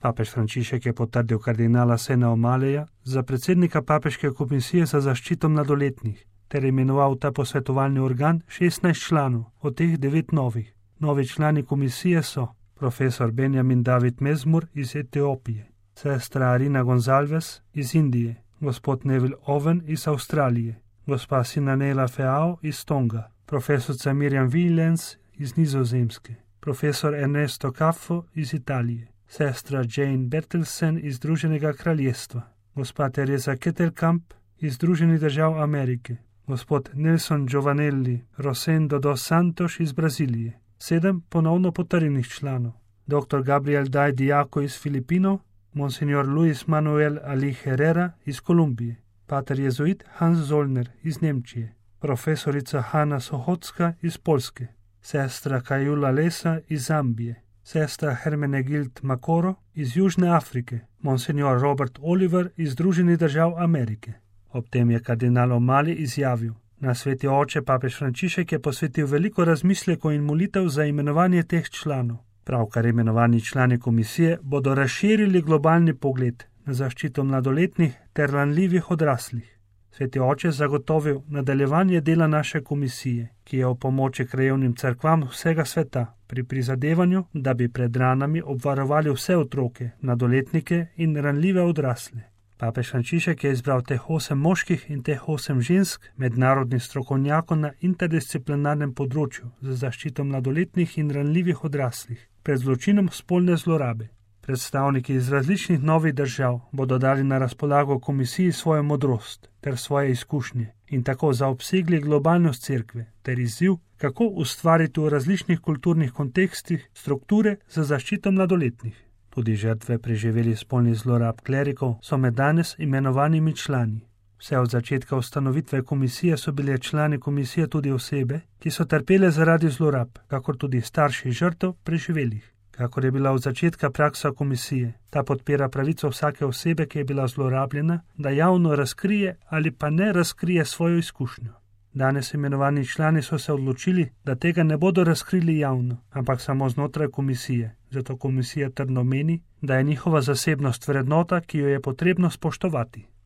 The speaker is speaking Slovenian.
Papež Frančišek je potrdil kardinala Sena O'Malleyja za predsednika Papeške komisije za zaščito mladoletnih ter imenoval ta posvetovalni organ 16 članov, od teh 9 novih. Novi člani komisije so profesor Benjamin David Mezmur iz Etiopije, sestra Arina Gonzalves iz Indije, gospod Neville Owen iz Avstralije, gospa Sinanela Feao iz Tonga, profesorica Miriam Willens iz Nizozemske, profesor Ernesto Caffo iz Italije, sestra Jane Bertelsen iz Združenega kraljestva, gospa Teresa Kettelkamp iz Združenih držav Amerike, gospod Nelson Giovanelli Rosendo dos Santos iz Brazilije, 7 ponovno potrjenih članov, dr. Gabriel Daj Diako iz Filipinov, monsignor Luis Manuel Ali Herrera iz Kolumbije, pater jezuit Hans Zollner iz Nemčije, profesorica Hanna Sohotska iz Poljske, sestra Kajula Lesa iz Zambije, sestra Hermenegild Makoro iz Južne Afrike, monsignor Robert Oliver iz Združenih držav Amerike. Ob tem je kardinal O'Malley izjavil: Na Sveti oče papež Frančišek je posvetil veliko razmislekov in molitev za imenovanje teh članov. Pravkar imenovani člani komisije bodo razširili globalni pogled na zaščito mladoletnih ter ranljivih odraslih. Sveti oče zagotovil nadaljevanje dela naše komisije, ki je v pomoči krajevnim cerkvam vsega sveta pri prizadevanju, da bi pred ranami obvarovali vse otroke, mladoletnike in ranljive odrasle. Papež Frančišek je izbral teh 8 moških in teh 8 žensk, mednarodnih strokovnjakov na interdisciplinarnem področju za zaščito mladoletnih in ranljivih odraslih pred zločinom spolne zlorabe. Predstavniki iz različnih novih držav bodo dali na razpolago komisiji svojo modrost ter svoje izkušnje in tako zaobsegli globalnost cerkve ter izziv, kako ustvariti v različnih kulturnih kontekstih strukture za zaščito mladoletnih. Tudi žrtve preživelih spolnih zlorab klerikov so med danes imenovanimi člani. Vse od začetka ustanovitve komisije so bile člani komisije tudi osebe, ki so trpele zaradi zlorab, kakor tudi starši žrtev preživelih. Kakor je bila od začetka praksa komisije, ta podpira pravico vsake osebe, ki je bila zlorabljena, da javno razkrije ali pa ne razkrije svojo izkušnjo. Danes imenovani člani so se odločili, da tega ne bodo razkrili javno, ampak samo znotraj komisije. Zato komisija trdno meni, da je njihova zasebnost vrednota, ki jo je potrebno spoštovati.